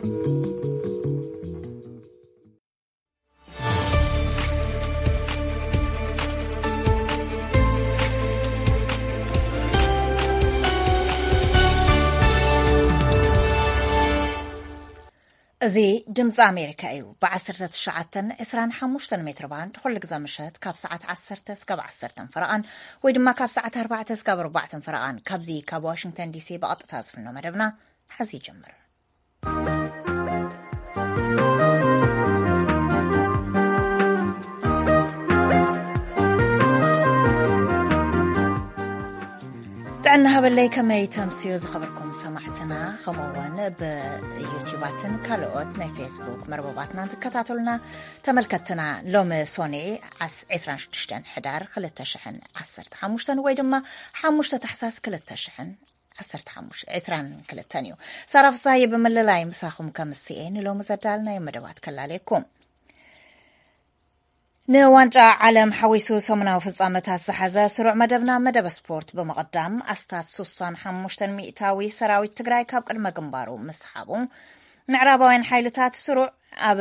እዚ ድምፂ ኣሜሪካ እዩ። ብ19፣ 25 ሜትር ባንድ ኩሉ ግዜ ምሸት ካብ ሰዓት ዓሰርተ እስካብ ዓሰርተ ፈረቓን ወይ ድማ ካብ ሰዓት ኣርባዕተ እስካብ ኣርባዕተ ፈረቓን ካብዚ ካብ ዋሽንግተን ዲሲ ብቐጥታ ዝፍኖ መደብና ሐዚ ይጀምር። ጥዕና ሃበለይ፣ ከመይ ተምስዮ ዝኸበርኩም ሰማዕትና፣ ከምኡውን ብዩቲዩባትን ካልኦት ናይ ፌስቡክ መርበባትና ትከታተሉና ተመልከትና። ሎሚ ሶኔ ዓስ-፣ ዕስራን ሽዱሽተን ሕዳር ክልተ ሽሕን ዓሰርተ ሓሙሽተን ወይ ድማ ሓሙሽተ ታሕሳስ ክልተ ሽሕን ዓሰርተ ሓሙሽተ፣ ዕስራን ክልተን እዩ። ሳራ ፍሳሃየ ብምልላይ ምሳኹም ከምስኤ ንሎሚ ዘዳልናዮ መደባት ከላለየኩም። ንዋንጫ ዓለም ሓዊሱ ሰሙናዊ ፍጻመታት ዝሓዘ ስሩዕ መደብና፣ መደብ ስፖርት ብምቕዳም፣ ኣስታት ሱሳን ሓሙሽተን ሚእታዊ ሰራዊት ትግራይ ካብ ቅድመ ግንባሩ ምስሓቡ፣ ምዕራባውያን ሓይልታት ስሩዕ ኣብ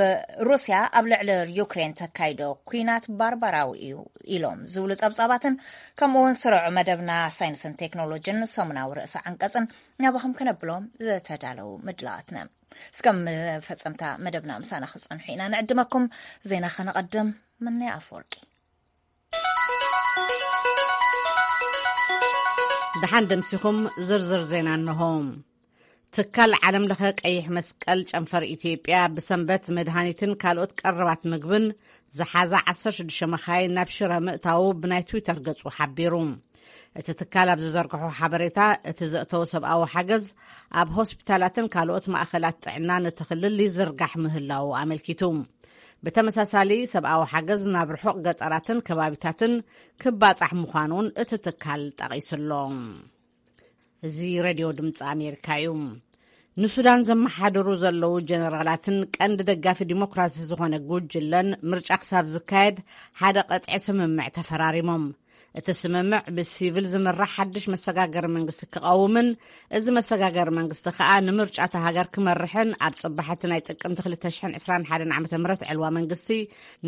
ሩስያ ኣብ ልዕሊ ዩክሬን ተካይዶ ኲናት ባርባራዊ እዩ ኢሎም ዝብሉ ጸብጻባትን፣ ከምኡውን ስሩዕ መደብና ሳይንስን ቴክኖሎጂን ሰሙናዊ ርእሰ ዓንቀጽን ናባኹም ከነብሎም ዝተዳለዉ ምድላዋትና። እስከ መፈጸምታ መደብና ምሳና ክትጸንሑ ኢና ንዕድመኩም። ዜና ከነቐድም፣ ምንያ ኣፈወርቂ። ደሓን ደምሲኹም፣ ዝርዝር ዜና እንሆ። ትካል ዓለም ለኸ ቀይሕ መስቀል ጨንፈር ኢትዮጵያ ብሰንበት መድሃኒትን ካልኦት ቀረባት ምግብን ዝሓዛ ዓሰርተ ሽዱሽተ መኻይን ናብ ሽረ ምእታዉ ብናይ ትዊተር ገጹ ሓቢሩ። እቲ ትካል ኣብ ዝዘርግሖ ሓበሬታ፣ እቲ ዘእተወ ሰብኣዊ ሓገዝ ኣብ ሆስፒታላትን ካልኦት ማእኸላት ጥዕናን እቲ ክልል ይዝርጋሕ ምህላዉ ኣመልኪቱ። ብተመሳሳሊ፣ ሰብኣዊ ሓገዝ ናብ ርሑቕ ገጠራትን ከባቢታትን ክባጻሕ ምዃኑን እቲ ትካል ጠቒሱሎ። እዚ ሬድዮ ድምፂ ኣሜሪካ እዩ። ንሱዳን ዘመሓድሩ ዘለዉ ጀነራላትን ቀንዲ ደጋፊ ዲሞክራሲ ዝኾነ ጉጅለን፣ ምርጫ ክሳብ ዝካየድ ሓደ ቀጥዒ ስምምዕ ተፈራሪሞም። እቲ ስምምዕ ብሲቪል ዝምራሕ ሓድሽ መሰጋገሪ መንግስቲ ክቐውምን፣ እዚ መሰጋገሪ መንግስቲ ከኣ ንምርጫ እታ ሃገር ክመርሕን ኣብ ጽባሕ እቲ ናይ ጥቅምቲ ክልተ ሽሕን ዕስራን ሓደን ዓመተ ምህረት ዕልዋ መንግስቲ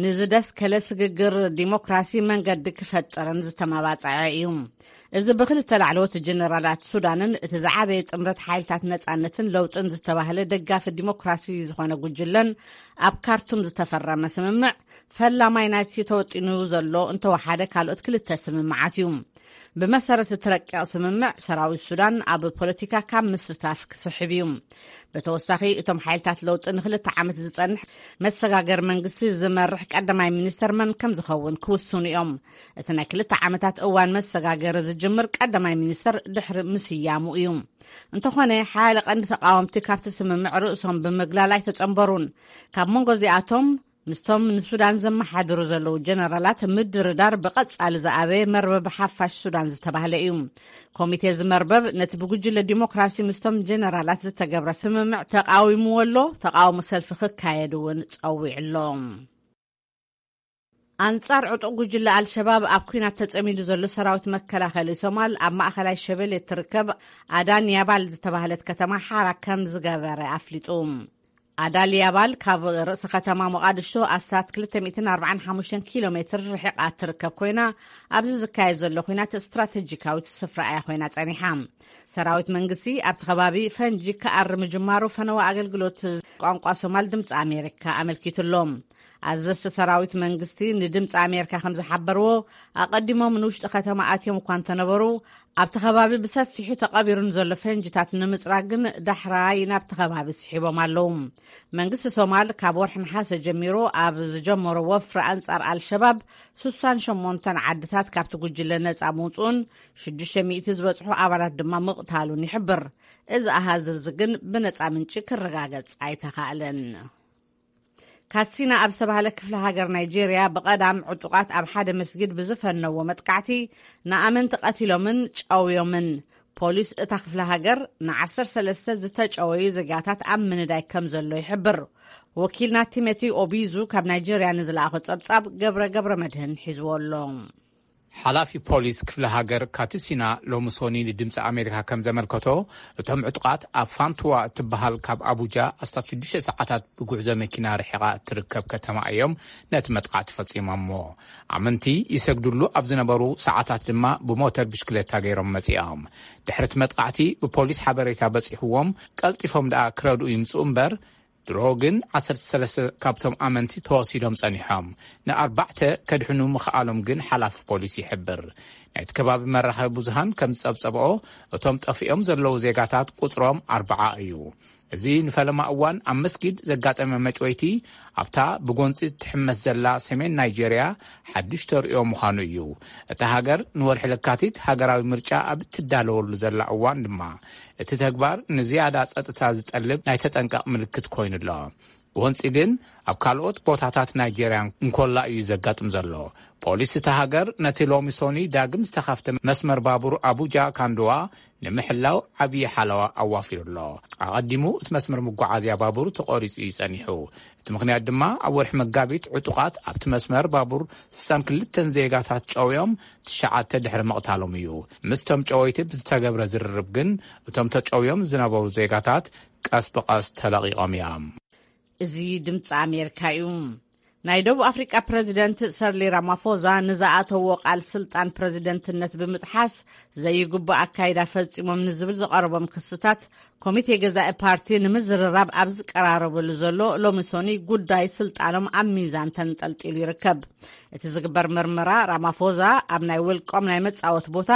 ንዝደስከለ ስግግር ዲሞክራሲ መንገዲ ክፈጥርን ዝተመባጸዐ እዩ። እዚ ብክልተ ላዕለዎት ጀነራላት ሱዳንን እቲ ዝዓበየ ጥምረት ሓይልታት ነጻነትን ለውጥን ዝተባህለ ደጋፊ ዲሞክራሲ ዝኾነ ጉጅለን ኣብ ካርቱም ዝተፈረመ ስምምዕ ፈላማይ ናይቲ ተወጢኑ ዘሎ እንተወሓደ ካልኦት ክልተ ስምምዓት እዩ። ብመሰረት እቲ ረቂቕ ስምምዕ፣ ሰራዊት ሱዳን ኣብ ፖለቲካ ካብ ምስታፍ ክስሕብ እዩ። ብተወሳኺ፣ እቶም ሓይልታት ለውጢ ንክልተ ዓመት ዝጸንሕ መሰጋገሪ መንግስቲ ዝመርሕ ቀዳማይ ሚኒስተር መን ከም ዝኸውን ክውስኑ እዮም። እቲ ናይ ክልተ ዓመታት እዋን መሰጋገሪ ዝጅምር ቀዳማይ ሚኒስተር ድሕሪ ምስያሙ እዩ። እንተኾነ፣ ሓያለ ቀንዲ ተቃወምቲ ካብቲ ስምምዕ ርእሶም ብምግላል ኣይተጸንበሩን። ካብ መንጎ እዚኣቶም፣ ምስቶም ንሱዳን ዘመሓድሩ ዘለዉ ጀነራላት ምድርዳር ብቐጻሊ ዝኣበየ መርበብ ሓፋሽ ሱዳን ዝተባህለ እዩ። ኮሚቴ እዚ መርበብ ነቲ ብጉጅለ ዲሞክራሲ ምስቶም ጀነራላት ዝተገብረ ስምምዕ ተቃዊምዎ ኣሎ፣ ተቃውሞ ሰልፊ ክካየድ እውን ጸዊዑ ኣሎ። ኣንጻር ዕጡቕ ጉጅለ ኣልሸባብ ኣብ ኲናት ተጸሚዱ ዘሎ ሰራዊት መከላኸሊ ሶማል፣ ኣብ ማእኸላይ ሸበሌ እትርከብ ኣዳን ያባል ዝተባህለት ከተማ ሓራ ከም ዝገበረ ኣፍሊጡ። ኣዳል ያባል ካብ ርእሲ ከተማ ሞቓድሾ ኣስታት ክልተ ሚእትን ኣርባዓን ሓሙሽተን ኪሎ ሜትር ርሒቓ እትርከብ ኮይና፣ ኣብዚ ዝካየድ ዘሎ ኲናት ስትራተጂካዊት ስፍራ እያ ኮይና ጸኒሓ። ሰራዊት መንግስቲ ኣብቲ ከባቢ ፈንጂ ክኣሪ ምጅማሩ ፈነወ ኣገልግሎት ቋንቋ ሶማል ድምፂ ኣሜሪካ ኣመልኪቱ ኣሎ። ኣዘዝቲ ሰራዊት መንግስቲ ንድምፂ ኣሜሪካ ከም ዝሓበርዎ፣ ኣቐዲሞም ንውሽጢ ከተማ ኣትዮም እኳ እንተነበሩ፣ ኣብቲ ከባቢ ብሰፊሑ ተቐቢሩ ንዘሎ ፈንጅታት ንምፅራግ ግን ዳሕራይ ናብቲ ከባቢ ስሒቦም ኣለዉ። መንግስቲ ሶማል ካብ ወርሒ ነሓሰ ጀሚሩ ኣብ ዝጀመሮ ወፍሪ ኣንጻር ኣልሸባብ፣ ሱሳን ሸሞንተን ዓድታት ካብቲ ጉጅለ ነጻ ምውፅኡን ሽዱሽተ ሚእቲ ዝበጽሑ ኣባላት ድማ ምቕታሉን ይሕብር። እዚ ኣሃዝ እዚ ግን ብነጻ ምንጪ ክረጋገጽ ኣይተኻእለን። ካትሲና ኣብ ዝተባህለ ክፍለ ሃገር ናይጄርያ፣ ብቐዳም ዕጡቓት ኣብ ሓደ መስጊድ ብዝፈነዎ መጥቃዕቲ ንኣመንቲ ቀቲሎምን ጨውዮምን። ፖሊስ እታ ክፍለ ሃገር ንዓሰርተ ሰለስተ ዝተጨወዩ ዜጋታት ኣብ ምንዳይ ከም ዘሎ ይሕብር። ወኪልና ቲሞቲ ኦቢዙ ካብ ናይጄርያ ንዝለኣኾ ጸብጻብ ገብረ ገብረ መድህን ሒዝዎ ኣሎ። ሓላፊ ፖሊስ ክፍለ ሃገር ካትሲና ሎምሶኒ ንድምፂ ኣሜሪካ ከም ዘመልከቶ፣ እቶም ዕጡቓት ኣብ ፋንቱዋ እትበሃል ካብ ኣቡጃ ኣስታት ሽዱሽተ ሰዓታት ብጉዕዞ መኪና ርሒቓ እትርከብ ከተማ እዮም ነቲ መጥቃዕቲ ፈፂሞሞ። ኣመንቲ ይሰግድሉ ኣብ ዝነበሩ ሰዓታት ድማ ብሞተር ብሽክሌታ ገይሮም መፂኦም። ድሕሪ እቲ መጥቃዕቲ ብፖሊስ ሓበሬታ በፂሕዎም ቀልጢፎም ደኣ ክረድኡ ይምፅኡ እምበር፣ ድሮ ግን ዓሰርተ ሰለስተ ካብቶም ኣመንቲ ተወሲዶም ጸኒሖም። ንኣርባዕተ ከድሕኑ ምኽኣሎም ግን ሓላፊ ፖሊስ ይሕብር። ናይቲ ከባቢ መራኸቢ ብዙሃን ከም ዝጸብጸብኦ፣ እቶም ጠፊኦም ዘለዉ ዜጋታት ቁጽሮም ኣርብዓ እዩ። እዚ ንፈለማ እዋን ኣብ መስጊድ ዘጋጠመ መጭወይቲ ኣብታ ብጎንጺ ትሕመስ ዘላ ሰሜን ናይጄርያ ሓድሽ ተርእዮ ምዃኑ እዩ። እታ ሃገር ንወርሒ ለካቲት ሃገራዊ ምርጫ ኣብ እትዳለወሉ ዘላ እዋን ድማ፣ እቲ ተግባር ንዝያዳ ጸጥታ ዝጠልብ ናይ ተጠንቀቕ ምልክት ኮይኑ ኣሎ። ጎንጺ ግን ኣብ ካልኦት ቦታታት ናይጄርያ እንኮላ እዩ ዘጋጥም ዘሎ። ፖሊስ እታ ሃገር ነቲ ሎሚ ሶኒ ዳግም ዝተኸፍተ መስመር ባቡር ኣቡጃ ካንዶዋ ንምሕላው ዓብዪ ሓለዋ ኣዋፊሩ ኣሎ። ኣቐዲሙ እቲ መስመር መጓዓዝያ ባቡር ተቖሪጹ እዩ ጸኒሑ። እቲ ምኽንያት ድማ ኣብ ወርሒ መጋቢት ዕጡቓት ኣብቲ መስመር ባቡር ስሳን ክልተን ዜጋታት ጨውዮም ትሽዓተ ድሕሪ ምቕታሎም እዩ። ምስቶም ጨወይቲ ብዝተገብረ ዝርርብ ግን እቶም ተጨውዮም ዝነበሩ ዜጋታት ቀስ ብቐስ ተለቒቖም እዮም። እዚ ድምፂ ኣሜሪካ እዩ። ናይ ደቡብ ኣፍሪቃ ፕረዚደንት ሰርሊ ራማፎዛ ንዝኣተዎ ቃል ስልጣን ፕረዚደንትነት ብምጥሓስ ዘይግቡእ ኣካይዳ ፈጺሞም ንዝብል ዝቐረቦም ክስታት ኮሚቴ ገዛኢ ፓርቲ ንምዝርራብ ኣብ ዝቀራረበሉ ዘሎ ሎሚ ሶኒ ጉዳይ ስልጣኖም ኣብ ሚዛን ተንጠልጢሉ ይርከብ። እቲ ዝግበር መርመራ ራማፎዛ ኣብ ናይ ውልቆም ናይ መጻወት ቦታ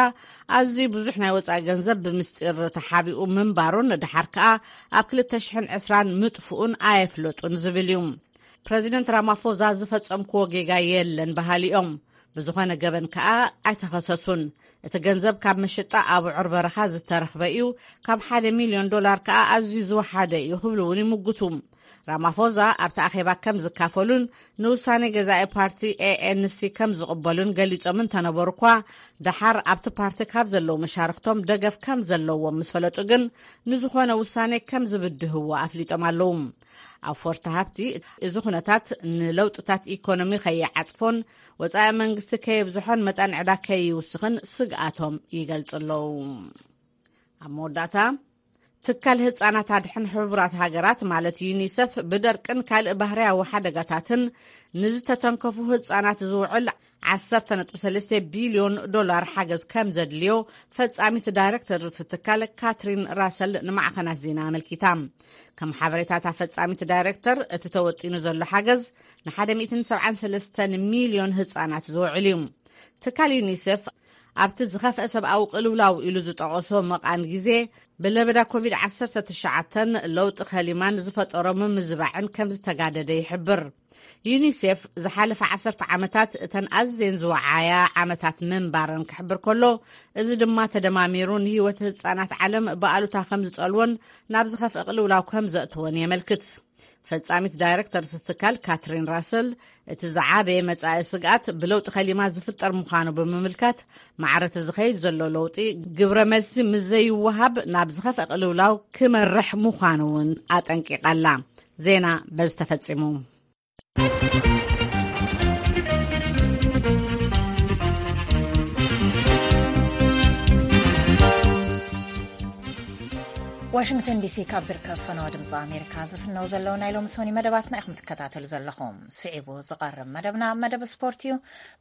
ኣዝዩ ብዙሕ ናይ ወጻኢ ገንዘብ ብምስጢር ተሓቢኡ ምንባሩን ድሓር ከኣ ኣብ ክልተ ሽሕን ዕስራን ምጥፍኡን ኣየፍለጡን ዝብል እዩ። ፕረዚደንት ራማፎዛ ዝፈጸምክዎ ጌጋ የለን በሃሊ እዮም። ብዝኾነ ገበን ከኣ ኣይተኸሰሱን። እቲ ገንዘብ ካብ መሸጣ ኣቡዑር በረኻ ዝተረኽበ እዩ፣ ካብ ሓደ ሚልዮን ዶላር ከኣ ኣዝዩ ዝወሓደ እዩ ክብሉ እውን ይምጉቱ። ራማፎዛ ኣብቲ ኣኼባ ከም ዝካፈሉን ንውሳኔ ገዛኢ ፓርቲ ኤ ኤን ሲ ከም ዝቕበሉን ገሊጾም እንተነበሩ እኳ፣ ደሓር ኣብቲ ፓርቲ ካብ ዘለዉ መሻርክቶም ደገፍ ከም ዘለዎም ምስ ፈለጡ ግን፣ ንዝኾነ ውሳኔ ከም ዝብድህዎ ኣፍሊጦም ኣለዉ። ኣፎርቲ ሃብቲ፣ እዚ ኩነታት ንለውጥታት ኢኮኖሚ ከይዓጽፎን ወጻኢ መንግስቲ ከየብዝሖን መጠን ዕዳ ከይውስኽን ስግኣቶም ይገልጹ ኣለዉ። ኣብ መወዳእታ፣ ትካል ህጻናት ኣድሕን ሕቡራት ሃገራት ማለት ዩኒሰፍ ብደርቅን ካልእ ባህርያዊ ሓደጋታትን ንዝተተንከፉ ህጻናት ዝውዕል ዓሰርተ ነጥቢ ሰለስተ ቢልዮን ዶላር ሓገዝ ከም ዘድልዮ ፈጻሚት ዳይሬክተር እቲ ትካል ካትሪን ራሰል ንማዕኸናት ዜና ኣመልኪታ። ከም ሓበሬታታ ፈጻሚት ዳይሬክተር፣ እቲ ተወጢኑ ዘሎ ሓገዝ ንሓደ ሚእትን ሰብዓን ሰለስተን ሚልዮን ህጻናት ዝውዕል እዩ። ትካል ዩኒሴፍ ኣብቲ ዝኸፍአ ሰብኣዊ ቅልውላው ኢሉ ዝጠቐሶ መቓን ግዜ ብለበዳ ኮቪድ ዓሰርተ ትሽዓተን ለውጢ ከሊማን ዝፈጠሮ ምምዝባዕን ከም ዝተጋደደ ይሕብር። ዩኒሴፍ ዝሓለፈ ዓሰርተ ዓመታት እተን ኣዝየን ዝወዓያ ዓመታት ምንባረን ክሕብር ከሎ፣ እዚ ድማ ተደማሚሩ ንህይወት ህጻናት ዓለም ብኣሉታ ከም ዝጸልዎን ናብ ዝኸፍአ ቅልውላው ከም ዘእትዎን የመልክት። ፈጻሚት ዳይሬክተር እቲ ትካል ካትሪን ራሰል፣ እቲ ዝዓበየ መጻኢ ስግኣት ብለውጢ ከሊማ ዝፍጠር ምዃኑ ብምምልካት፣ ማዕረ እቲ ዝኸይድ ዘሎ ለውጢ ግብረ መልሲ ምስ ዘይወሃብ ናብ ዝኸፍአ ቅልውላው ክመርሕ ምዃኑ እውን ኣጠንቂቓ ኣላ። ዜና በዚ ተፈጺሙ። ዋሽንግተን ዲሲ ካብ ዝርከብ ፈነወ ድምፂ ኣሜሪካ ዝፍነው ዘለዉ ናይ ሎሚ ሶኒ መደባትና ኢኹም ትከታተሉ ዘለኹም። ስዒቡ ዝቐርብ መደብና መደብ ስፖርት እዩ።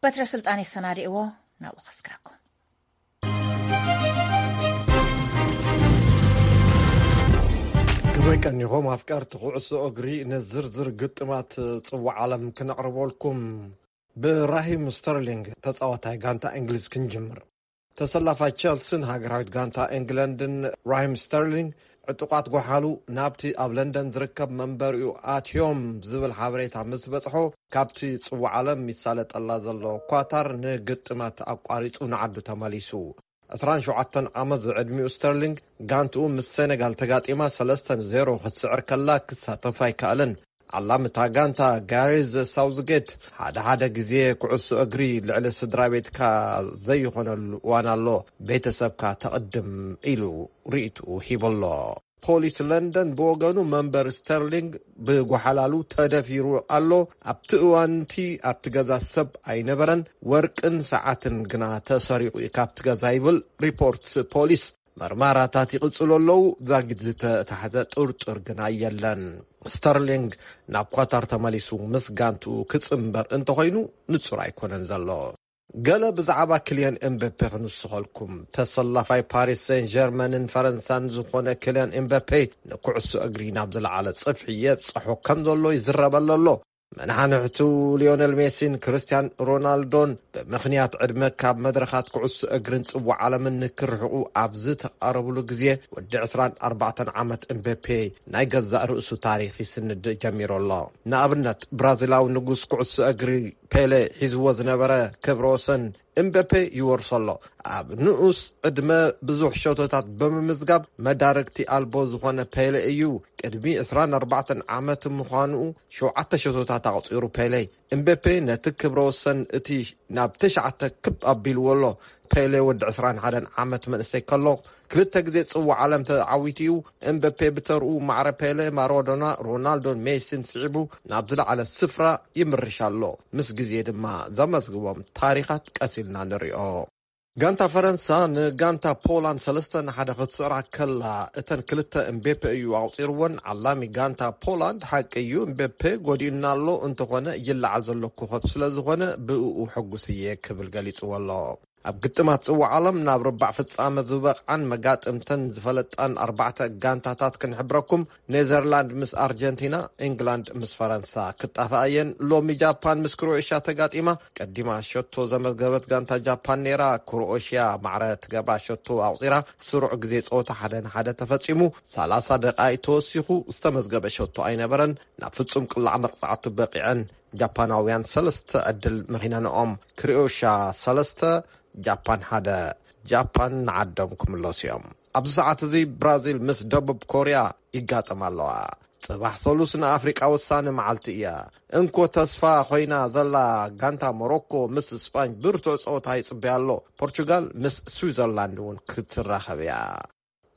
በትረ ስልጣን የሰናድእዎ፣ ናብኡ ከስግረኩም። ከመይ ቀኒኹም ኣፍቀርቲ ኩዕሶ እግሪ? ንዝርዝር ግጥማት ጽዋዕ ዓለም ክነቕርበልኩም። ብራሂም ስተርሊንግ ተጻዋታይ ጋንታ እንግሊዝ ክንጅምር። ተሰላፋይ ቸልስን ሃገራዊት ጋንታ እንግለንድን ራሂም ስተርሊንግ ዕጡቓት ጓሓሉ ናብቲ ኣብ ለንደን ዝርከብ መንበሪኡ ኣትዮም ዝብል ሓበሬታ ምስ በጽሖ፣ ካብቲ ጽዋዕ ዓለም ይሳለጠላ ዘሎ ኳታር ንግጥማት ኣቋሪጹ ንዓዱ ተመሊሱ። ዕስራን ሸውዓተን ዓመት ዝዕድሚኡ ስተርሊንግ፣ ጋንትኡ ምስ ሴኔጋል ተጋጢማ ሰለስተ ንዜሮ ክትስዕር ከላ ክሳተፍ ኣይከኣለን። ዓላሚ እታ ጋንታ ጋሪዝ ሳውዝጌት፣ ሓደ ሓደ ግዜ ኩዕሶ እግሪ ልዕሊ ስድራ ቤትካ ዘይኾነሉ እዋን ኣሎ፣ ቤተሰብካ ተቕድም ኢሉ ርእይትኡ ሂቡ ኣሎ። ፖሊስ ለንደን ብወገኑ መንበር ስተርሊንግ ብጓሓላሉ ተደፊሩ ኣሎ። ኣብቲ እዋንቲ ኣብቲ ገዛ ሰብ ኣይነበረን። ወርቅን ሰዓትን ግና ተሰሪቑ እዩ ካብቲ ገዛ ይብል ሪፖርት ፖሊስ። መርማራታት ይቕጽሉ ኣለዉ። ዛጊት ዝተታሕዘ ጥርጥር ግና የለን። ስተርሊንግ ናብ ኳታር ተመሊሱ ምስ ጋንትኡ ክጽንበር እንተኾይኑ ንጹር ኣይኮነን ዘሎ። ገለ ብዛዕባ ክልያን ኤምበፔ ክንስኸልኩም። ተሰላፋይ ፓሪስ ሴን ጀርመንን ፈረንሳን ዝኾነ ክልያን ኤምበፔ ንኩዕሶ እግሪ ናብ ዝለዓለ ጽፍሒ የብጽሖ ከም ዘሎ ይዝረበሉ ኣሎ። መናሕንሕቱ ሊዮነል ሜሲን ክርስቲያን ሮናልዶን ብምኽንያት ዕድመ ካብ መድረኻት ኩዕሶ እግርን ጽዋዕ ዓለምን ንክርሕቑ ኣብ ዝተቓረብሉ ግዜ፣ ወዲ ዕስራን ኣርባዕተን ዓመት ኤምበፔ ናይ ገዛእ ርእሱ ታሪኽ ይስንድ ጀሚሩ ኣሎ። ንኣብነት፣ ብራዚላዊ ንጉስ ኩዕሶ እግሪ ፔሌ ሒዝዎ ዝነበረ ክብረ ወሰን ኤምበፔ ይወርሶ ኣሎ። ኣብ ንኡስ ዕድመ ብዙሕ ሸቶታት ብምምዝጋብ፣ መዳርግቲ ኣልቦ ዝኾነ ፔሌ እዩ። ቅድሚ ዕስራን ኣርባዕተን ዓመት ምዃኑ ሸውዓተ ሸቶታት ኣቑጺሩ ፔሌ። ኤምበፔ ነቲ ክብረ ወሰን እቲ ናብ ትሽዓተ ክብ ኣቢልዎ ኣሎ። ፔሌ ወዲ ዕስራን ሓደን ዓመት መንእሰይ ከሎ ክልተ ግዜ ጽዋዕ ዓለም ተዓዊቱ እዩ። ኤምበፔ ብተርኡ ማዕረ ፔሌ፣ ማራዶና፣ ሮናልዶን ሜሲን ስዒቡ ናብ ዝለዓለ ስፍራ ይምርሽ ኣሎ። ምስ ግዜ ድማ ዘመዝግቦም ታሪኻት ቀስ ኢልና ንሪኦ። ጋንታ ፈረንሳ ንጋንታ ፖላንድ ሰለስተ ንሓደ ክትስዕራ ከላ፣ እተን ክልተ እምቤፔ እዩ ኣቑጺርወን። ዓላሚ ጋንታ ፖላንድ፣ ሓቂ እዩ፣ እምቤፔ ጎዲኡና ኣሎ፣ እንተኾነ ይለዓል ዘሎ ኮኸብ ስለ ዝኾነ ብእኡ ሕጉስ እየ ክብል ገሊጽዎ ኣሎ። ኣብ ግጥማት ጽዋዕ ዓለም ናብ ርባዕ ፍጻመ ዝበቕዓን መጋጥምተን ዝፈለጣን ኣርባዕተ ጋንታታት ክንሕብረኩም። ኔዘርላንድ ምስ ኣርጀንቲና፣ ኢንግላንድ ምስ ፈረንሳ ክጣፍኣ እየን። ሎሚ ጃፓን ምስ ክሮኤሽያ ተጋጢማ። ቀዲማ ሸቶ ዘመዝገበት ጋንታ ጃፓን ነይራ። ክሮኤሽያ ማዕረ ትገብራ ሸቶ ኣቑጺራ። ስሩዕ ግዜ ጸወታ ሓደ ንሓደ ተፈጺሙ። ሰላሳ ደቓይቕ ተወሲኹ ዝተመዝገበ ሸቶ ኣይነበረን። ናብ ፍጹም ቅላዕ መቕጻዕቲ በቒዐን። ጃፓናውያን ሰለስተ ዕድል መኺነንኦም። ክሮኤሽያ ሰለስተ፣ ጃፓን ሓደ። ጃፓን ንዓዶም ክምለሱ እዮም። ኣብዚ ሰዓት እዚ ብራዚል ምስ ደቡብ ኮርያ ይጋጠማ ኣለዋ። ጽባሕ ሰሉስ ንኣፍሪቃ ወሳኒ መዓልቲ እያ። እንኮ ተስፋ ኮይና ዘላ ጋንታ ሞሮኮ ምስ ስጳኝ ብርቱዕ ጸወታ ይጽበያ ኣሎ። ፖርቹጋል ምስ ስዊዘርላንድ እውን ክትራኸብ እያ።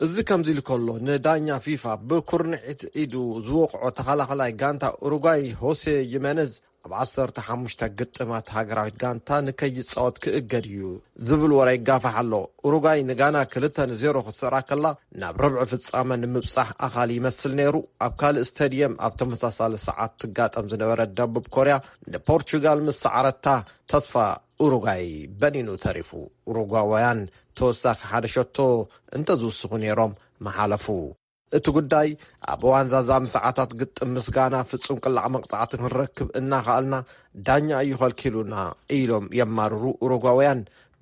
እዚ ከምዚ ኢሉ ከሎ፣ ንዳኛ ፊፋ ብኩርንዒት ኢዱ ዝወቕዖ ተኸላኸላይ ጋንታ ኡሩጓይ ሆሴ ዪመነዝ ኣብ ዓሰርተ ሓሙሽተ ግጥማት ሃገራዊት ጋንታ ንከይጻወት ክእገድ እዩ ዝብል ወረ ይጋፋሕ ኣሎ። ኡሩጓይ ንጋና ክልተ ንዜሮ ክትስዕራ ከላ፣ ናብ ርብዒ ፍጻመ ንምብጻሕ ኣኻሊ ይመስል ነይሩ። ኣብ ካልእ ስታድየም ኣብ ተመሳሳሊ ሰዓት ትጋጠም ዝነበረት ደቡብ ኮርያ ንፖርቹጋል ምስ ሰዓረታ፣ ተስፋ ኡሩጓይ በኒኑ ተሪፉ። ኡሩጓውያን ተወሳኺ ሓደ ሸቶ እንተዝውስኹ ነይሮም ምሓለፉ። እቲ ጉዳይ፣ ኣብ እዋን ዛዛሚ ሰዓታት ግጥም ምስ ጋና ፍጹም ቅላዕ መቕጻዕቲ ክንረክብ እናኸኣልና፣ ዳኛ እዩ ከልኪሉና ኢሎም የማርሩ ኡሩጓውያን።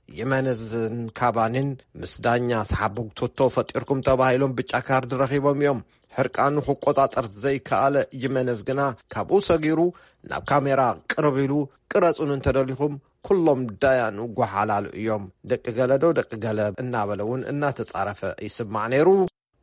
ዪመነዝን ካቫኒን ምስ ዳኛ ሰሓቦግቶቶ ፈጢርኩም ተባሂሎም ብጫ ካርድ ረኺቦም እዮም። ሕርቃኑ ክቆጻጸር ዘይከኣለ ዪመነዝ ግና ካብኡ ሰጊሩ ናብ ካሜራ ቅርብ ኢሉ፣ "ቅረጹን እንተደሊኹም፣ ኩሎም ዳያኑ ጓሓላሉ እዮም፣ ደቂ ገለ ዶ ደቂ ገለ?" እናበለ እውን እናተጻረፈ ይስማዕ ነይሩ።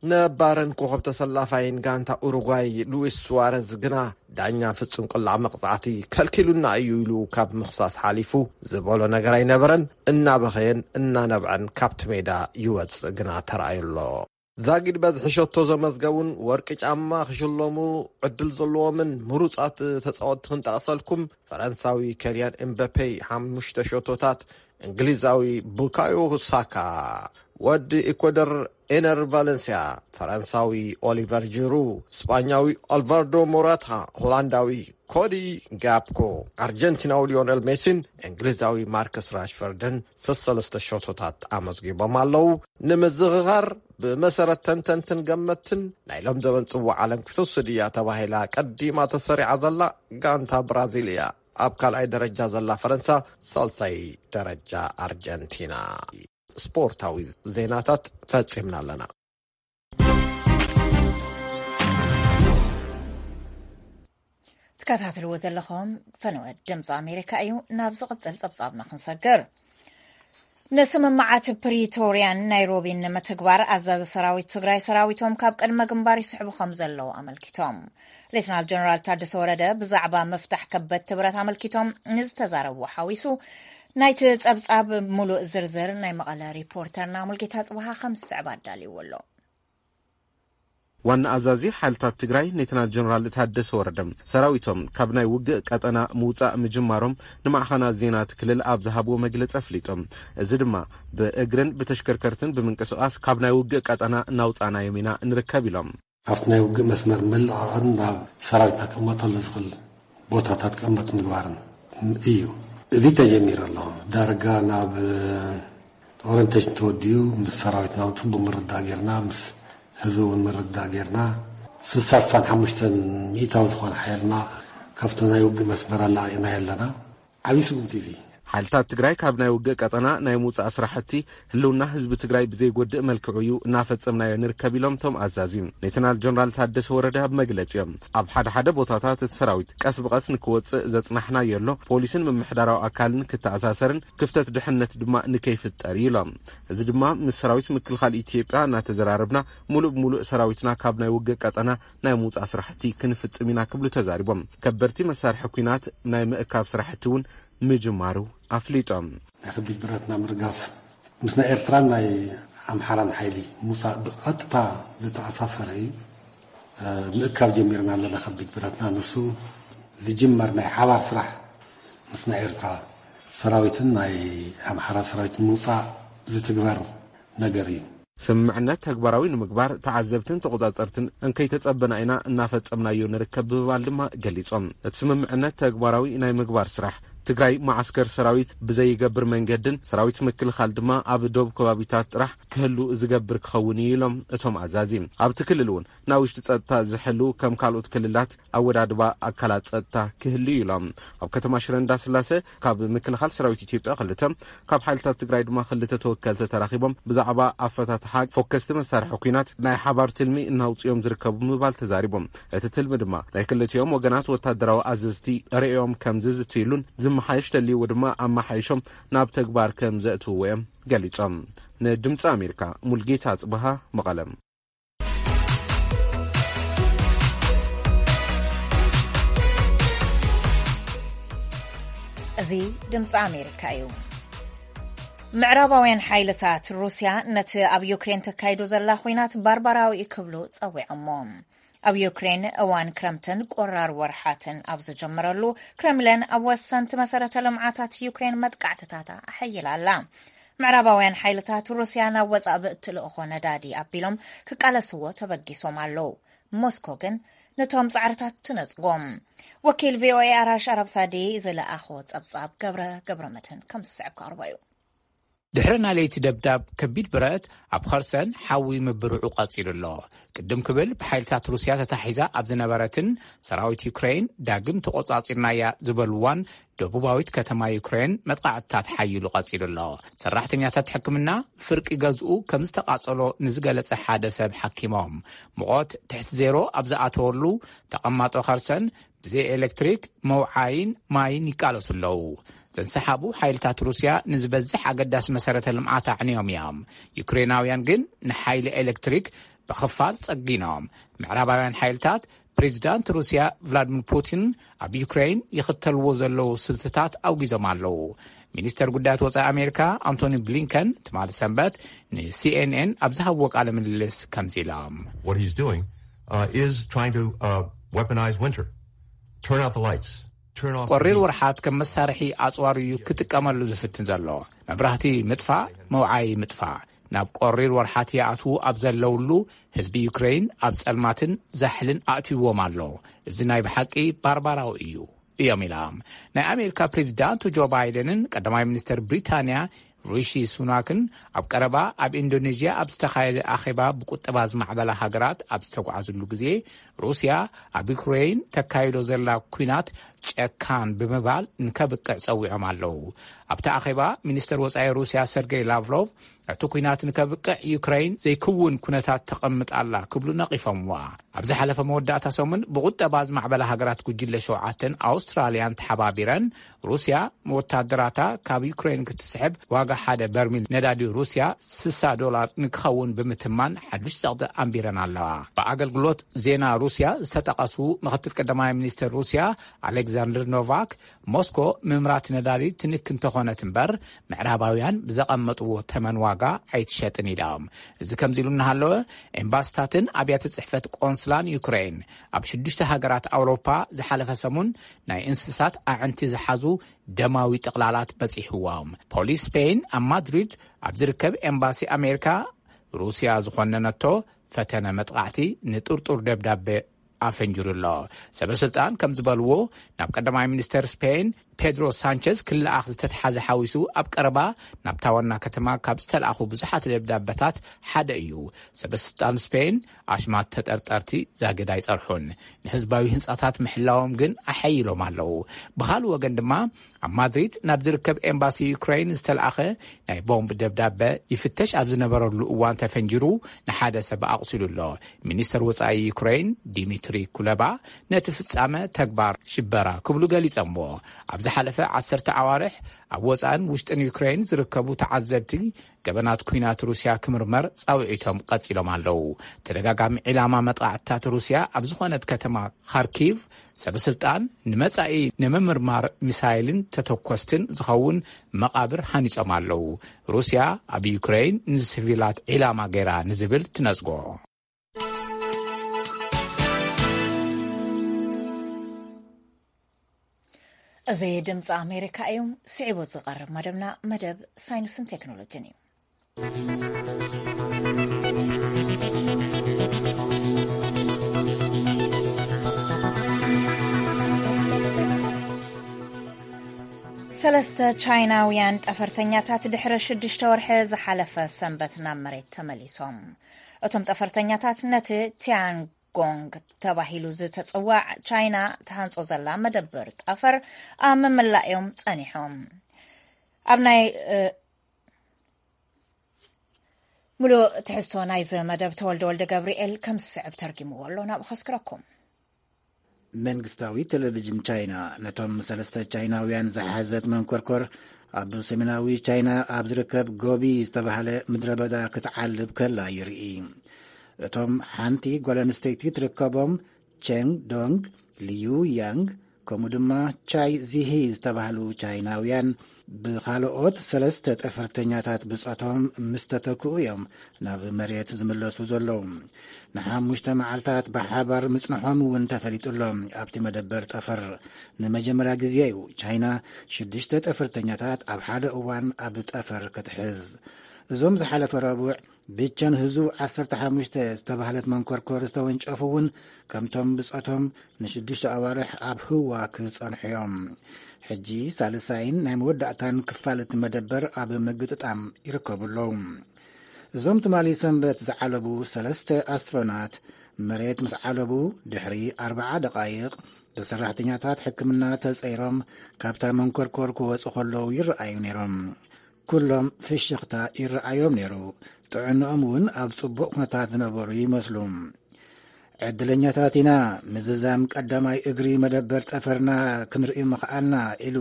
ነባርን ኮኸብ ተሰላፋይን ጋንታ ኡሩጓይ ሉዊስ ሱዋረዝ ግና፣ "ዳኛ ፍጹም ቅላዕ መቕጻዕቲ ከልኪሉና እዩ" ኢሉ ካብ ምኽሳስ ሓሊፉ ዝበሎ ነገር ኣይነበረን። እናበኸየን እናነብዐን ካብቲ ሜዳ ይወጽእ ግና ተራእዩ ኣሎ። ዛጊድ በዝሒ ሸቶ ዘመዝገቡን ወርቂ ጫማ ክሽለሙ ዕድል ዘለዎምን ምሩጻት ተጻወትቲ ክንጠቕሰልኩም። ፈረንሳዊ ከልያን ኤምበፔ ሓሙሽተ ሸቶታት፣ እንግሊዛዊ ቡካዮ ሳካ፣ ወዲ ኢኳዶር ኤነር ቫለንሲያ፣ ፈረንሳዊ ኦሊቨር ጂሩ፣ ስጳኛዊ ኣልቫርዶ ሞራታ፣ ሆላንዳዊ ኮዲ ጋፕኮ፣ ኣርጀንቲናዊ ሊዮነል ሜሲን እንግሊዛዊ ማርከስ ራሽፈርድን ሰሰለስተ ሸቶታት ኣመዝጊቦም ኣለዉ። ንምዝኽኻር፣ ብመሰረት ተንተንትን ገመትን፣ ናይ ሎም ዘበን ጽዋዕ ዓለም ክትወስድ እያ ተባሂላ ቀዲማ ተሰሪዓ ዘላ ጋንታ ብራዚል እያ። ኣብ ካልኣይ ደረጃ ዘላ ፈረንሳ፣ ሳልሳይ ደረጃ ኣርጀንቲና። ስፖርታዊ ዜናታት ፈጺምና ኣለና። ትከታተልዎ ዘለኹም ፈነወ ድምፂ ኣሜሪካ እዩ። ናብ ዝቕፅል ፀብፃብና ክንሰግር። ንስምምዓት ፕሪቶርያን ናይሮቢን ንምትግባር ኣዛዚ ሰራዊት ትግራይ ሰራዊቶም ካብ ቅድመ ግንባር ይስሕቡ ከም ዘለዉ ኣመልኪቶም። ሌትናል ጀነራል ታደሰ ወረደ ብዛዕባ ምፍታሕ ከበድቲ ብረት ኣመልኪቶም ንዝተዛረብዎ ሓዊሱ ናይቲ ጸብጻብ ሙሉእ ዝርዝር ናይ መቐለ ሪፖርተርና ሙልጌታ ጽብሃ ከም ዝስዕብ ኣዳልይዎ ኣሎ። ዋና ኣዛዚ ሓይልታት ትግራይ ሌተናል ጀነራል ታደሰ ወረደ፣ ሰራዊቶም ካብ ናይ ውግእ ቀጠና ምውፃእ ምጅማሮም ንማዕኸናት ዜና እቲ ክልል ኣብ ዝሃብዎ መግለፂ ኣፍሊጦም። እዚ ድማ ብእግርን ብተሽከርከርትን ብምንቅስቓስ ካብ ናይ ውግእ ቀጠና እናውፃእናዮም ኢና ንርከብ ኢሎም። ኣብቲ ናይ ውግእ መስመር ምልዕዓልን ናብ ሰራዊትና ክቕመጠሉ ዝኽእል ቦታታት ክቕመጥ ምግባርን እዩ። እዚ ተጀሚሩ ኣሎ። ዳርጋ ናብ ኦሪንቴሽን ተወዲኡ ምስ ሰራዊትና እውን ጽቡቕ ምርዳእ ጌርና፣ ምስ ህዝቢ እውን ምርዳእ ጌርና፣ ስሳ ሓሙሽተ ሚእታዊ ዝኾነ ሓይልና ካብቲ ናይ ውግእ መስመር ኣላቒቕናዮ ኣለና። ዓብዪ ስጉምቲ እዚ። ሓይልታት ትግራይ ካብ ናይ ውግእ ቀጠና ናይ ምውፃእ ስራሕቲ ህልውና ህዝቢ ትግራይ ብዘይጎድእ መልክዑ እዩ እናፈጸምናዮ ንርከብ ኢሎም እቶም ኣዛዚ። ሌተናል ጀነራል ታደሰ ወረደ ኣብ መግለጺኦም፣ ኣብ ሓደ ሓደ ቦታታት እቲ ሰራዊት ቀስ ብቐስ ንክወፅእ ዘጽናሕናዮ ኣሎ፣ ፖሊስን ምምሕዳራዊ ኣካልን ክተኣሳሰርን ክፍተት ድሕነት ድማ ንከይፍጠር እዩ ኢሎም። እዚ ድማ ምስ ሰራዊት ምክልኻል ኢትዮጵያ እናተዘራረብና፣ ሙሉእ ብሙሉእ ሰራዊትና ካብ ናይ ውግእ ቀጠና ናይ ምውፃእ ስራሕቲ ክንፍጽም ኢና ክብሉ ተዛሪቦም። ከበድቲ መሳርሒ ኲናት ናይ ምእካብ ስራሕቲ እውን ምጅማሩ ኣፍሊጦም። ናይ ከቢድ ብረትና ምርጋፍ ምስ ናይ ኤርትራን ናይ ኣምሓራን ሓይሊ ምውፃእ ብቐጥታ ዝተኣሳሰረ እዩ። ምእካብ ጀሚርና ኣለና። ከቢድ ብረትና ንሱ ዝጅመር ናይ ሓባር ስራሕ ምስ ናይ ኤርትራ ሰራዊትን ናይ ኣምሓራ ሰራዊት ምውፃእ ዝትግበር ነገር እዩ። ስምምዕነት ተግባራዊ ንምግባር ተዓዘብትን ተቖጻጸርትን እንከይተጸበና ኢና እናፈጸምናዮ ንርከብ ብምባል ድማ ገሊጾም። እቲ ስምምዕነት ተግባራዊ ናይ ምግባር ስራሕ ትግራይ መዓስከር ሰራዊት ብዘይገብር መንገድን ሰራዊት ምክልኻል ድማ ኣብ ዶብ ከባቢታት ጥራሕ ክህሉ ዝገብር ክኸውን እዩ ኢሎም እቶም ኣዛዚ። ኣብቲ ክልል እውን ናይ ውሽጢ ጸጥታ ዝሕሉ ከም ካልኦት ክልላት ኣወዳድባ ኣካላት ጸጥታ ክህሉ እዩ ኢሎም። ኣብ ከተማ ሽረ እንዳስላሰ ካብ ምክልኻል ሰራዊት ኢትዮጵያ ክልተ፣ ካብ ሓይልታት ትግራይ ድማ ክልተ ተወከልቲ ተራኺቦም ብዛዕባ ኣፈታትሓ ፎከስቲ መሳርሒ ኲናት ናይ ሓባር ትልሚ እናውፅኦም ዝርከቡ ምባል ተዛሪቦም። እቲ ትልሚ ድማ ናይ ክልቲኦም ወገናት ወታደራዊ ኣዘዝቲ ርእዮም ከም ዝዝትይሉን ዝመሓየሽ ተልይዎ ድማ ኣመሓይሾም ናብ ተግባር ከም ዘእትውዎ እዮም ገሊጾም። ንድምፂ ኣሜሪካ ሙልጌታ ኣጽብሃ መቐለም። እዚ ድምፂ ኣሜሪካ እዩ። ምዕራባውያን ሓይልታት ሩስያ ነቲ ኣብ ዩክሬን ተካይዶ ዘላ ኹናት ባርባራዊ ክብሉ ጸዊዖሞ። ኣብ ዩክሬን እዋን ክረምትን ቆራር ወርሓትን ኣብ ዝጀመረሉ፣ ክረምለን ኣብ ወሰንቲ መሰረተ ልምዓታት ዩክሬን መጥቃዕትታታ ኣሐይላ ኣላ። ምዕራባውያን ሓይልታት ሩስያ ናብ ወጻኢ ብእትልእኾ ነዳዲ ኣቢሎም ክቃለስዎ ተበጊሶም ኣለዉ። ሞስኮ ግን ነቶም ጻዕርታት ትነጽጎም። ወኪል ቪኦኤ ኣራሽ ኣራብሳዲ ዝለኣኾ ጸብጻብ ገብረ ገብረ መድህን ከም ዝስዕብ ክቐርቦ እዩ። ድሕሪ ናይ ለይቲ ደብዳብ ከቢድ ብረት ኣብ ኸርሰን ሓዊ ምብርዑ ቀጺሉ ኣሎ። ቅድም ክብል ብሓይልታት ሩስያ ተታሒዛ ኣብ ዝነበረትን ሰራዊት ዩክሬን ዳግም ተቖጻጺርናያ ዝበልዋን ደቡባዊት ከተማ ዩክሬን መጥቃዕትታት ሓይሉ ቀጺሉ ኣሎ። ሰራሕተኛታት ሕክምና ፍርቂ ገዝኡ ከም ዝተቓጸሎ ንዝገለጸ ሓደ ሰብ ሓኪሞም። ሙቐት ትሕቲ ዜሮ ኣብ ዝኣተወሉ ተቐማጦ ኸርሰን ብዘይ ኤሌክትሪክ መውዓይን ማይን ይቃለሱ ኣለዉ። ዘንሰሓቡ ሓይልታት ሩስያ ንዝበዝሕ ኣገዳሲ መሰረተ ልምዓት ኣዕንዮም እዮም። ዩክሬናውያን ግን ንሓይሊ ኤሌክትሪክ ብኽፋል ጸጊኖም። ምዕራባውያን ሓይልታት ፕሬዚዳንት ሩስያ ቭላድሚር ፑቲን ኣብ ዩክሬን ይኽተልዎ ዘለዉ ስልትታት ኣውጊዞም ኣለዉ። ሚኒስተር ጉዳያት ወጻኢ ኣሜሪካ ኣንቶኒ ብሊንከን ትማሊ ሰንበት ንሲኤንኤን ኣብ ዝሃብዎ ቃለ ምልልስ ከምዚ ኢሎም። What he's doing, uh, is trying to, uh, weaponize winter. Turn out the lights. Turn off the ቆሪር heat. ወርሓት ከም መሳርሒ ኣጽዋር እዩ ክጥቀመሉ ዝፍትን ዘሎ። መብራህቲ ምጥፋእ፣ መውዓይ ምጥፋእ። ናብ ቆሪር ወርሓት ይኣትዉ ኣብ ዘለውሉ፣ ህዝቢ ዩክሬን ኣብ ጸልማትን ዛሕልን ኣእትይዎም ኣሎ። እዚ ናይ ብሓቂ ባርባራዊ እዩ፣ እዮም ኢሎም። ናይ ኣሜሪካ ፕሬዚዳንት ጆ ባይደንን ቀዳማይ ሚኒስተር ብሪታንያ ሪሺ ሱናክን ኣብ ቀረባ ኣብ ኢንዶኔዥያ ኣብ ዝተኻየደ ኣኼባ ብቁጠባ ዝማዕበላ ሃገራት ኣብ ዝተጓዓዝሉ ግዜ፣ ሩስያ ኣብ ዩክሬን ተካይዶ ዘላ ኲናት ጨካን ብምባል ንከብቅዕ ጸዊዖም ኣለዉ። ኣብቲ ኣኼባ ሚኒስተር ወጻኢ ሩስያ ሰርጌይ ላቭሮቭ፣ እቲ ኲናት ንከብቅዕ ዩክሬን ዘይክውን ኩነታት ተቐምጥ ኣላ ክብሉ ነቒፎምዋ። ኣብ ዝሓለፈ መወዳእታ ሰሙን ብቁጠባ ዝማዕበላ ሃገራት ጉጅለ ሸውዓተን ኣውስትራልያን ተሓባቢረን፣ ሩስያ ወታደራታ ካብ ዩክሬን ክትስሕብ ዋጋ ሓደ በርሚል ነዳዲ ሩስያ ስሳ ዶላር ንክኸውን ብምትማን ሓዱሽ ጸቕጢ ኣንቢረን ኣለዋ። ብኣገልግሎት ዜና ሩስያ ዝተጠቐሱ ምኽትል ቀዳማይ ሚኒስትር ሩስያ ኣሌክዛንደር ኖቫክ፣ ሞስኮ ምምራት ነዳዲ ትንክ እንተኾነት እምበር፣ ምዕራባውያን ብዘቐመጥዎ ተመን ዋጋ ኣይትሸጥን ኢሎም። እዚ ከምዚ ኢሉ እናሃለወ፣ ኤምባስታትን ኣብያተ ጽሕፈት ቆንስላን ዩክሬን ኣብ ሽዱሽተ ሃገራት ኣውሮፓ ዝሓለፈ ሰሙን ናይ እንስሳት ኣዕንቲ ዝሓዙ ደማዊ ጥቕላላት በጺሕዎም። ፖሊስ ስፔን ኣብ ማድሪድ ኣብ ዝርከብ ኤምባሲ ኣሜሪካ፣ ሩስያ ዝኾነነቶ ፈተነ መጥቓዕቲ ንጥርጡር ደብዳቤ ኣፈንጅሩ ኣሎ። ሰበስልጣን ከም ዝበልዎ፣ ናብ ቀዳማይ ሚኒስተር ስፔን ፔድሮ ሳንቸዝ ክለኣኽ ዝተተሓዘ ሓዊሱ፣ ኣብ ቀረባ ናብታ ዋና ከተማ ካብ ዝተለኣኹ ብዙሓት ደብዳበታት ሓደ እዩ። ሰበስልጣን ስፔን ኣሽማት ተጠርጠርቲ ዛገድ ኣይጸርሑን፣ ንህዝባዊ ህንጻታት ምሕላዎም ግን ኣሐይሎም ኣለዉ። ብኻልእ ወገን ድማ፣ ኣብ ማድሪድ ናብ ዝርከብ ኤምባሲ ዩክሬን ዝተለኣኸ ናይ ቦምብ ደብዳበ ይፍተሽ ኣብ ዝነበረሉ እዋን ተፈንጂሩ ንሓደ ሰብ ኣቑሲሉ ኣሎ። ሚኒስተር ወጻኢ ዩክሬን ዲሚትሪ ኩለባ ነቲ ፍጻመ ተግባር ሽበራ ክብሉ ገሊጸምዎ። ኣብ ዝሓለፈ ዓሰርተ ኣዋርሕ ኣብ ወጻእን ውሽጥን ዩክሬን ዝርከቡ ተዓዘብቲ ገበናት ኲናት ሩስያ ክምርመር ጻውዒቶም ቀጺሎም ኣለዉ። ተደጋጋሚ ዒላማ መጥቃዕትታት ሩስያ ኣብ ዝኾነት ከተማ ኻርኪቭ፣ ሰበስልጣን ንመጻኢ ንምምርማር ሚሳይልን ተተኮስትን ዝኸውን መቓብር ሃኒጾም ኣለዉ። ሩስያ ኣብ ዩክሬን ንሲቪላት ዒላማ ገይራ ንዝብል ትነጽጎ። እዚ ድምፂ ኣሜሪካ እዩ። ስዒቡ ዝቐርብ መደብና መደብ ሳይንስን ቴክኖሎጂን እዩ። ሰለስተ ቻይናውያን ጠፈርተኛታት ድሕሪ ሽዱሽተ ወርሒ ዝሓለፈ ሰንበት ናብ መሬት ተመሊሶም። እቶም ጠፈርተኛታት ነቲ ቲያንጎንግ ተባሂሉ ዝተጽዋዕ ቻይና ትሃንጾ ዘላ መደብር ጠፈር ኣብ ምምላእ እዮም ጸኒሖም። ኣብ ናይ፣ እ፣ ሙሉእ ትሕዝቶ ናይዚ መደብ ተወልደ ወልደ ገብርኤል ከም ዝስዕብ ተርጊምዎ ኣሎ፣ ናብኡ ከስክረኩም። መንግስታዊ ቴሌቪዥን ቻይና ነቶም ሰለስተ ቻይናውያን ዝሓዘት መንኮርኮር ኣብ ሰሜናዊ ቻይና ኣብ ዝርከብ ጎቢ ዝተባህለ ምድረ በዳ ክትዓልብ ከላ የርኢ። እቶም ሓንቲ ጓል ኣንስተይቲ ትርከቦም ቸንግ ዶንግ፣ ሊዩ ያንግ፣ ከምኡ ድማ ቻይ ዚሂ ዝተባህሉ ቻይናውያን ብኻልኦት ሰለስተ ጠፈርተኛታት ብጾቶም ምስ ተተክኡ እዮም ናብ መሬት ዝምለሱ ዘለዉ። ንሓሙሽተ መዓልታት ብሓባር ምጽንሖም እውን ተፈሊጡ ኣሎ። ኣብቲ መደበር ጠፈር ንመጀመርያ ግዜ እዩ ቻይና ሽዱሽተ ጠፈርተኛታት ኣብ ሓደ እዋን ኣብ ጠፈር ክትሕዝ። እዞም ዝሓለፈ ረቡዕ ብቸን ህዙ ዓሰርተ ሓሙሽተ ዝተባህለት መንኮርኮር ዝተወንጨፉ እውን ከምቶም ብጾቶም ንሽዱሽተ ኣዋርሕ ኣብ ህዋ ክጸንሑ እዮም። ሕጂ ሳልሳይን ናይ መወዳእታን ክፋል እቲ መደበር ኣብ ምግጥጣም ይርከቡ ኣለዉ። እዞም ትማሊ ሰንበት ዝዓለቡ ሰለስተ ኣስትሮናት መሬት ምስ ዓለቡ ድሕሪ ኣርብዓ ደቓይቕ ብሰራሕተኛታት ሕክምና ተጸይሮም ካብታ መንኮርኮር ክወጹ ከለዉ ይረኣዩ ነይሮም። ኩሎም ፍሽኽታ ይረኣዮም ነይሩ። ጥዕንኦም እውን ኣብ ጽቡቕ ኩነታት ዝነበሩ ይመስሉ። ዕድለኛታት ኢና፣ ምዝዛም ቀዳማይ እግሪ መደበር ጠፈርና ክንርኢ ምኽኣልና፣ ኢሉ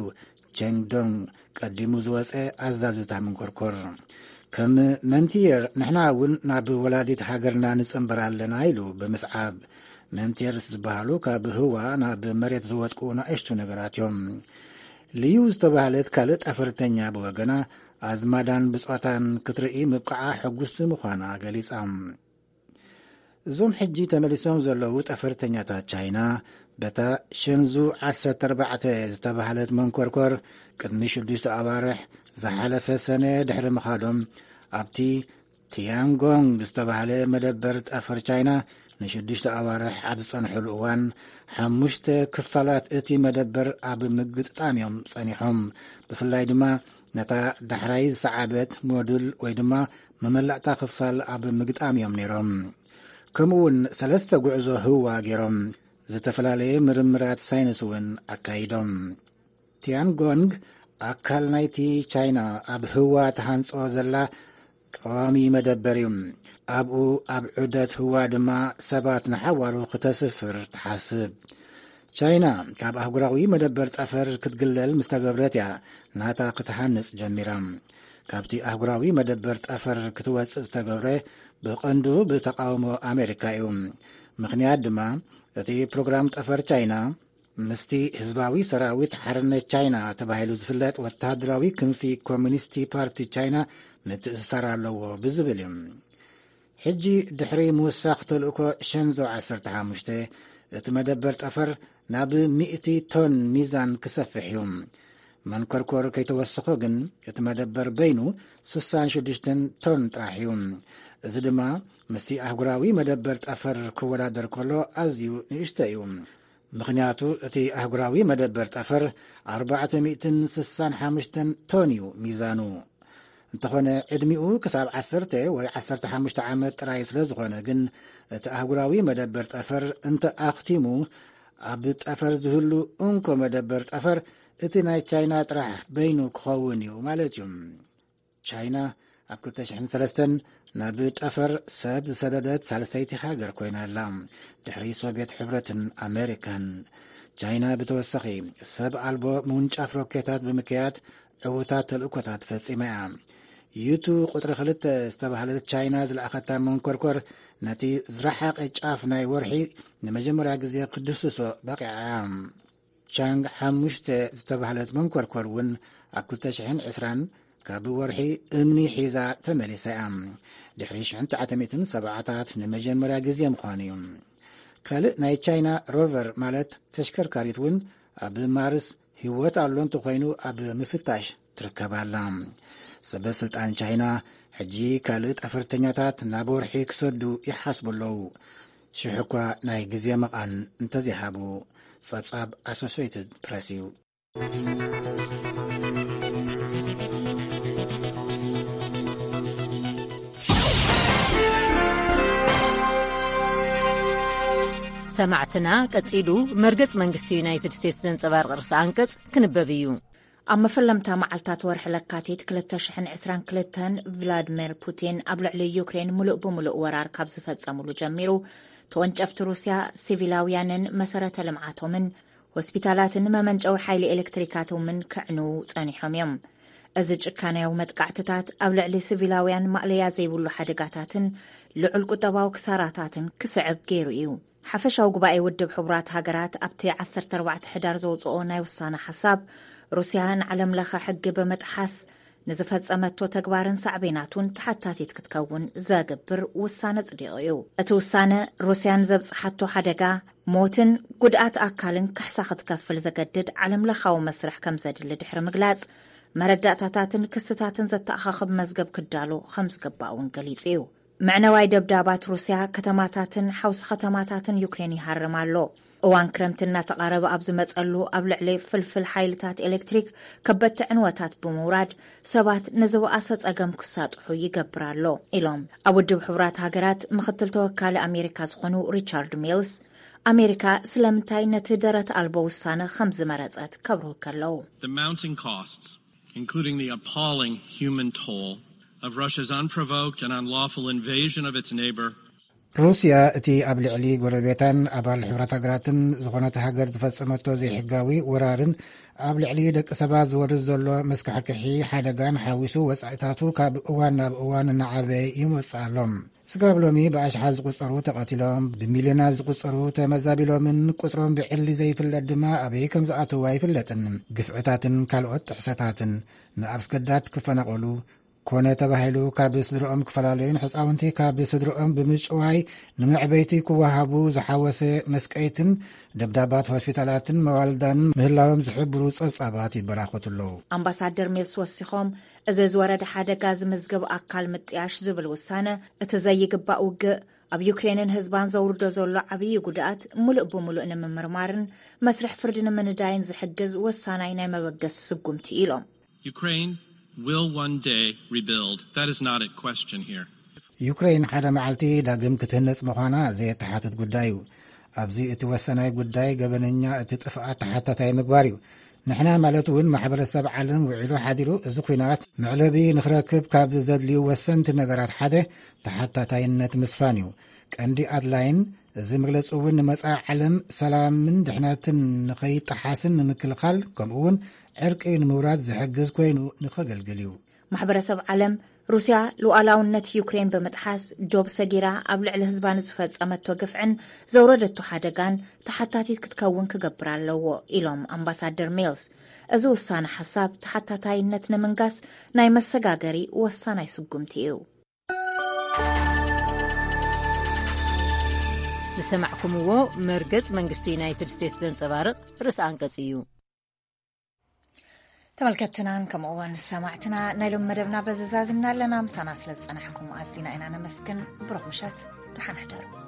ቸንግ ዶንግ ቀዲሙ ዝወጸ ኣዛዚ እታ መንኮርኮር። ከም መንቲየር ንሕና እውን ናብ ወላዲት ሃገርና ንጽንበር ኣለና፣ ኢሉ ብምስዓብ። መንቲየርስ ዝበሃሉ ካብ ህዋ ናብ መሬት ዝወድቁ ንኣሽቱ ነገራት እዮም። ልዩ ዝተባህለት ካልእ ጠፈርተኛ ብወገና ኣዝማዳን ብጾታን ክትርኢ ምብቃዓ ሕጉስቲ ምዃና ገሊጻ። እዞም ሕጂ ተመሊሶም ዘለዉ ጠፈርተኛታት ቻይና በታ ሸንዙ ዓሰርተ ኣርባዕተ ዝተባህለት መንኮርኮር ቅድሚ ሽዱሽተ ኣዋርሕ ዝሓለፈ ሰነ ድሕሪ ምኻዶም ኣብቲ ቲያንጎንግ ዝተባህለ መደበር ጠፈር ቻይና ንሽዱሽተ ኣዋርሕ ኣብ ዝጸንሕሉ እዋን ሓሙሽተ ክፋላት እቲ መደበር ኣብ ምግጥጣም እዮም ጸኒሖም። ብፍላይ ድማ ነታ ዳሕራይ ዝሰዓበት ሞዱል ወይ ድማ መመላእታ ክፋል ኣብ ምግጣም እዮም ነይሮም። ከምኡ እውን ሰለስተ ጉዕዞ ህዋ ገይሮም ዝተፈላለየ ምርምራት ሳይንስ እውን ኣካይዶም። ቲያንጎንግ ኣካል ናይቲ ቻይና ኣብ ህዋ ተሃንጾ ዘላ ቀዋሚ መደበር እዩ። ኣብኡ ኣብ ዑደት ህዋ ድማ ሰባት ንሓዋሩ ክተስፍር ትሓስብ። ቻይና ካብ ኣህጉራዊ መደበር ጠፈር ክትግለል ምስ ተገብረት እያ ናታ ክትሃንጽ ጀሚራ። ካብቲ ኣህጉራዊ መደበር ጠፈር ክትወጽእ ዝተገብረ ብቐንዱ ብተቓውሞ ኣሜሪካ እዩ። ምኽንያት ድማ እቲ ፕሮግራም ጠፈር ቻይና ምስቲ ህዝባዊ ሰራዊት ሓርነት ቻይና ተባሂሉ ዝፍለጥ ወተሃደራዊ ክንፊ ኮሚኒስቲ ፓርቲ ቻይና ምትእስሳር ኣለዎ ብዝብል እዩ። ሕጂ ድሕሪ ምውሳኽ ተልእኮ ሸንዞ ዓሰርተ ሓሙሽተ፣ እቲ መደበር ጠፈር ናብ ሚእቲ ቶን ሚዛን ክሰፍሕ እዩ። መንኮርኮር ከይተወሰኾ ግን እቲ መደበር በይኑ ስሳን ሽዱሽተን ቶን ጥራሕ እዩ። እዚ ድማ ምስቲ ኣህጉራዊ መደበር ጠፈር ክወዳደር ከሎ ኣዝዩ ንእሽቶ እዩ። ምኽንያቱ እቲ ኣህጉራዊ መደበር ጠፈር ኣርባዕተ ሚእትን ስሳን ሓሙሽተን ቶን እዩ ሚዛኑ። እንተኾነ ዕድሚኡ ክሳብ ዓሰርተ ወይ ዓሰርተ ሓሙሽተ ዓመት ጥራይ ስለ ዝኾነ ግን እቲ ኣህጉራዊ መደበር ጠፈር እንተ ኣኽቲሙ ኣብ ጠፈር ዝህሉ እንኮ መደበር ጠፈር እቲ ናይ ቻይና ጥራሕ በይኑ ክኸውን እዩ ማለት እዩ። ቻይና ኣብ ክልተ ሽሕን ሰለስተን ናብ ጠፈር ሰብ ዝሰደደት ሳልሰይቲ ሃገር ኮይና ኣላ፣ ድሕሪ ሶቪየት ሕብረትን ኣሜሪካን። ቻይና ብተወሳኺ ሰብ ኣልቦ ምውንጫፍ ሮኬታት ብምክያድ ዕዉታት ተልእኮታት ፈጺማ እያ። ዩቱ ቁጽሪ ክልተ ዝተባህለት ቻይና ዝለኣኸታ መንኮርኮር ነቲ ዝረሓቐ ጫፍ ናይ ወርሒ ንመጀመርያ ግዜ ክድስሶ በቒዓ እያ። ቻንግ ሓሙሽተ ዝተባህለት መንኮርኮር እውን ኣብ ክልተ ሽሕን ዕስራን ካብ ወርሒ እምኒ ሒዛ ተመሊሳ እያ። ድሕሪ ሽሕን ትሽዓተ ሚእትን ሰብዓታት ንመጀመርያ ግዜ ምዃኑ እዩ። ካልእ ናይ ቻይና ሮቨር ማለት ተሽከርካሪት እውን ኣብ ማርስ ህይወት ኣሎ እንተኾይኑ ኣብ ምፍታሽ ትርከብ ኣላ። ሰበ ስልጣን ቻይና ሕጂ ካልእ ጠፈርተኛታት ናብ ወርሒ ክሰዱ ይሓስቡ ኣለዉ። ሽሕ እኳ ናይ ግዜ መቓን እንተዘይሃቡ። ጸብጻብ ኣሶሴይትድ ፕረስ እዩ። ሰማዕትና፣ ቀጺሉ መርገጽ መንግስቲ ዩናይትድ ስቴትስ ዘንጸባርቕ ርእሰ ኣንቀጽ ክንበብ እዩ። ኣብ መፈለምታ መዓልታት ወርሒ ለካቲት ክልተ ሽሕን ዕስራን ክልተን፣ ቭላድሚር ፑቲን ኣብ ልዕሊ ዩክሬን ምሉእ ብምሉእ ወራር ካብ ዝፈጸሙሉ ጀሚሩ፣ ተወንጨፍቲ ሩስያ ሲቪላውያንን መሰረተ ልምዓቶምን፣ ሆስፒታላትን መመንጨዊ ሓይሊ ኤሌክትሪካቶምን ክዕንዉ ጸኒሖም እዮም። እዚ ጭካናያዊ መጥቃዕትታት ኣብ ልዕሊ ሲቪላውያን ማእለያ ዘይብሉ ሓደጋታትን ልዑል ቁጠባዊ ክሳራታትን ክስዕብ ገይሩ እዩ። ሓፈሻዊ ጉባኤ ውድብ ሕቡራት ሃገራት ኣብቲ ዓሰርተ ኣርባዕተ ሕዳር ዘውጽኦ ናይ ውሳነ ሓሳብ፣ ሩስያ ንዓለም ለኸ ሕጊ ብምጥሓስ ንዝፈጸመቶ ተግባርን ሳዕቤናቱን ተሓታቲት ክትከውን ዘግብር ውሳነ ጽዲቑ እዩ። እቲ ውሳነ፣ ሩስያ ንዘብጽሓቶ ሓደጋ፣ ሞትን ጉድኣት ኣካልን ካሕሳ ክትከፍል ዘገድድ ዓለም ለኻዊ መስርሕ ከም ዘድሊ ድሕሪ ምግላጽ፣ መረዳእታታትን ክስታትን ዘተኣኻኽብ መዝገብ ክዳሎ ከም ዝግባእ እውን ገሊጹ እዩ። መዕነዋይ ደብዳባት ሩስያ ከተማታትን ሓውሲ ከተማታትን ዩክሬን ይሃርም ኣሎ። እዋን ክረምቲ እናተቓረበ ኣብ ዝመጸሉ፣ ኣብ ልዕሊ ፍልፍል ሓይልታት ኤሌክትሪክ ከበድቲ ዕንወታት ብምውራድ፣ ሰባት ንዝበኣሰ ጸገም ክሳጥሑ ይገብር ኣሎ፣ ኢሎም ኣብ ውድብ ሕቡራት ሃገራት ምኽትል ተወካሊ ኣሜሪካ ዝኾኑ ሪቻርድ ሚልስ፣ ኣሜሪካ ስለምንታይ ነቲ ደረት ኣልቦ ውሳነ ከም ዝመረጸት ከብርሁ ከለዉ። The mounting costs, including the appalling human toll of Russia's unprovoked and unlawful invasion of its neighbor, ሩስያ እቲ ኣብ ልዕሊ ጎረቤታን ኣባል ሕቡራት ሃገራትን ዝኾነት ሃገር ዝፈጸመቶ ዘይሕጋዊ ወራርን ኣብ ልዕሊ ደቂ ሰባት ዝወርድ ዘሎ መስካሕክሒ ሓደጋን ሓዊሱ፣ ወጻኢታቱ ካብ እዋን ናብ እዋን እናዓበየ ይመጽእ ኣሎ። ስጋብ ሎሚ ብኣሽሓት ዝቑጸሩ ተቐቲሎም፣ ብሚልዮናት ዝቑጸሩ ተመዛቢሎምን ቁጽሮም ብዕሊ ዘይፍለጥ ድማ ኣበይ ከም ዝኣተዉ ኣይፍለጥን። ግፍዕታትን ካልኦት ጥሕሰታትን ንኣስገዳድ ክፈናቐሉ ኮነ ተባሂሉ ካብ ስድርኦም ክፈላለዩን ሕጻውንቲ ካብ ስድርኦም ብምጭዋይ ንመዕበይቲ ክወሃቡ ዝሓወሰ መስቀይትን ደብዳባት ሆስፒታላትን መዋልዳን ምህላዎም ዝሕብሩ ጸብጻባት ይበራኸቱ ኣለዉ። ኣምባሳደር ሚልስ ወሲኾም፣ እዚ ዝወረደ ሓደጋ ዝምዝገብ ኣካል ምጥያሽ ዝብል ውሳነ፣ እቲ ዘይግባእ ውግእ ኣብ ዩክሬንን ህዝባን ዘውርዶ ዘሎ ዓብዪ ጉድኣት ምሉእ ብምሉእ ንምምርማርን መስርሕ ፍርዲ ንምንዳይን ዝሕግዝ ወሳናይ ናይ መበገሲ ስጉምቲ ኢሎም። Ukraine will one day rebuild. That is not at question here. ዩክሬን ሓደ መዓልቲ ዳግም ክትህነጽ ምዃና ዘየተሓትት ጉዳይ እዩ። ኣብዚ እቲ ወሳናይ ጉዳይ ገበነኛ እቲ ጥፍኣት ተሓታታይ ምግባር እዩ። ንሕና ማለት እውን ማሕበረሰብ ዓለም ውዒሉ ሓዲሩ እዚ ኲናት መዕለቢ ንኽረክብ ካብ ዘድልዩ ወሰንቲ ነገራት ሓደ ተሓታታይነት ምስፋን እዩ። ቀንዲ ኣድላይን እዚ መግለፂ እውን ንመጻኢ ዓለም ሰላምን ድሕነትን ንኸይጠሓስን ንምክልኻል ከምኡ እውን ዕርቂ ንምውራድ ዝሕግዝ ኮይኑ ንኸገልግል እዩ። ማሕበረሰብ ዓለም ሩስያ ሉዓላውነት ዩክሬን ብምጥሓስ ዶብ ሰጊራ ኣብ ልዕሊ ህዝባ ንዝፈጸመቶ ግፍዕን ዘውረደቶ ሓደጋን ተሓታቲት ክትከውን ክገብር ኣለዎ ኢሎም ኣምባሳደር ሜልስ። እዚ ውሳነ ሓሳብ ተሓታታይነት ንምንጋስ ናይ መሰጋገሪ ወሳናይ ስጉምቲ እዩ። ዝሰማዕኩምዎ መርገጽ መንግስቲ ዩናይትድ ስቴትስ ዘንጸባርቕ ርእሰ ኣንቀጽ እዩ። ተመልከትትናን ከምኡ እውን ሰማዕትና ናይ ሎም መደብና በዚ ዛዚምና ኣለና። ምሳና ስለ ዝጸናሕኩም ኣዚና ኢና ነመስግን። ብሩኽ ምሸት፣ ደሓን ሕደሩ።